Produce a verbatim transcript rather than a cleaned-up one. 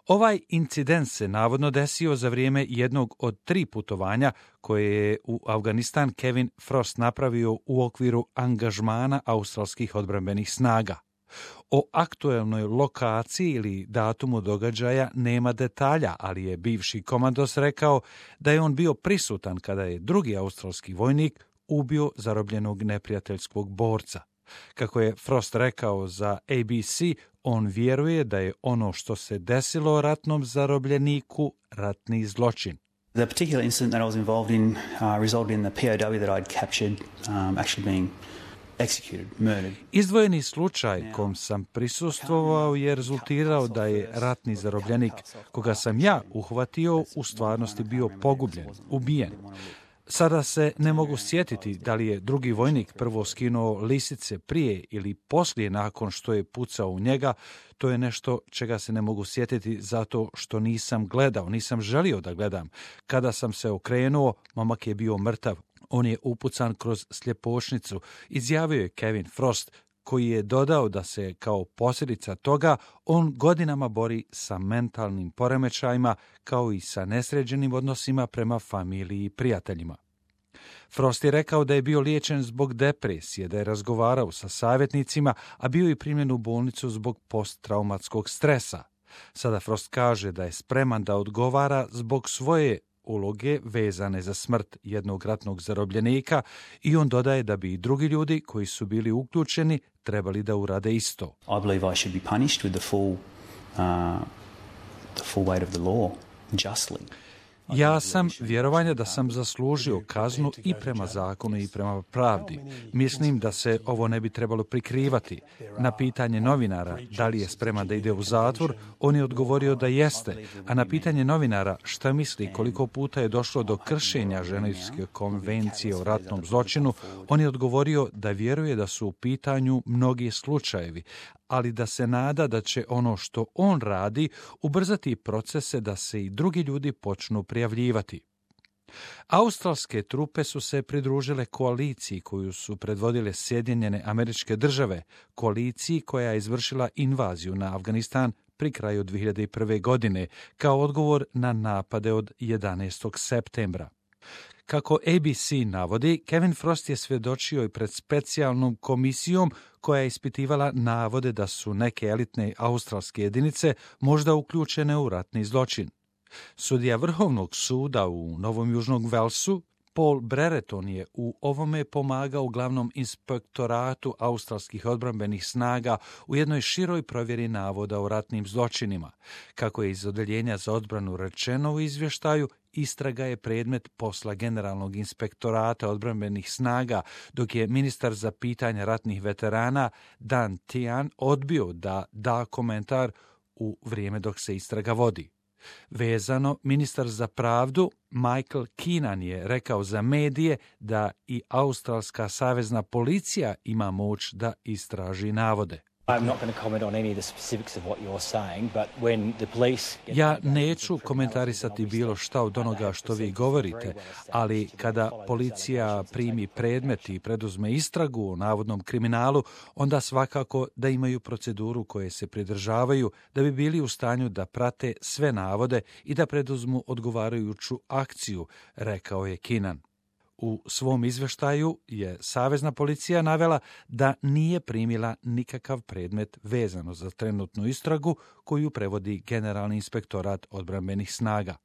Ovaj incident se navodno desio za vrijeme jednog od tri putovanja koje je u Afganistan Kevin Frost napravio u okviru angažmana australskih odbrambenih snaga. O aktuelnoj lokaciji ili datumu događaja nema detalja, ali je bivši komandos rekao da je on bio prisutan kada je drugi australski vojnik ubio zarobljenog neprijateljskog borca. Kako je Frost rekao za A B C, on vjeruje da je ono što se desilo ratnom zarobljeniku ratni zločin. The particular incident that I was involved in uh, resulted in the P O W that I'd captured um, actually being executed, murdered. Izdvojeni slučaj kom sam prisustvovao je rezultirao da je ratni zarobljenik koga sam ja uhvatio u stvarnosti bio pogubljen, ubijen. Sada se ne mogu sjetiti da li je drugi vojnik prvo skinuo lisice prije ili poslije nakon što je pucao u njega. To je nešto čega se ne mogu sjetiti zato što nisam gledao, nisam želio da gledam. Kada sam se okrenuo, momak je bio mrtav. On je upucan kroz sljepošnicu, izjavio je Kevin Frost, koji je dodao da se kao posljedica toga on godinama bori sa mentalnim poremećajima kao i sa nesređenim odnosima prema familiji i prijateljima. Frost je rekao da je bio liječen zbog depresije, da je razgovarao sa savjetnicima, a bio i primljen u bolnicu zbog posttraumatskog stresa. Sada Frost kaže da je spreman da odgovara zbog svoje uloge vezane za smrt jednog ratnog zarobljenika i on dodaje da bi i drugi ljudi koji su bili uključeni trebali da urade isto. I believe I should be punished with the full, uh, the full weight of the law, justly. Ja sam vjerovanja da sam zaslužio kaznu i prema zakonu i prema pravdi. Mislim da se ovo ne bi trebalo prikrivati. Na pitanje novinara da li je spreman da ide u zatvor, on je odgovorio da jeste, a na pitanje novinara šta misli koliko puta je došlo do kršenja Ženevske konvencije o ratnom zločinu, on je odgovorio da vjeruje da su u pitanju mnogi slučajevi, ali da se nada da će ono što on radi ubrzati procese da se i drugi ljudi počnu prijavljivati. Australske trupe su se pridružile koaliciji koju su predvodile Sjedinjene Američke Države, koaliciji koja je izvršila invaziju na Afganistan pri kraju dvije hiljade prve. godine, kao odgovor na napade od jedanaestog septembra. Kako A B C navodi, Kevin Frost je svjedočio i pred specijalnom komisijom koja je ispitivala navode da su neke elitne australske jedinice možda uključene u ratni zločin. Sudija Vrhovnog suda u Novom Južnom Velsu, Paul Brereton, je u ovome pomagao glavnom inspektoratu australskih odbrambenih snaga u jednoj široj provjeri navoda o ratnim zločinima. Kako je iz odeljenja za odbranu rečeno u izvještaju, istraga je predmet posla Generalnog inspektorata odbrambenih snaga, dok je ministar za pitanja ratnih veterana Dan Tehan odbio da da komentar u vrijeme dok se istraga vodi. Vezano, ministar za pravdu Michael Keenan je rekao za medije da i australska savezna policija ima moć da istraži navode. Ja neću komentarisati bilo šta od onoga što vi govorite, ali kada policija primi predmet i preduzme istragu o navodnom kriminalu, onda svakako da imaju proceduru koje se pridržavaju da bi bili u stanju da prate sve navode i da preduzmu odgovarajuću akciju, rekao je Keenan. U svom izvještaju je savezna policija navela da nije primila nikakav predmet vezano za trenutnu istragu koju prevodi Generalni inspektorat odbrambenih snaga.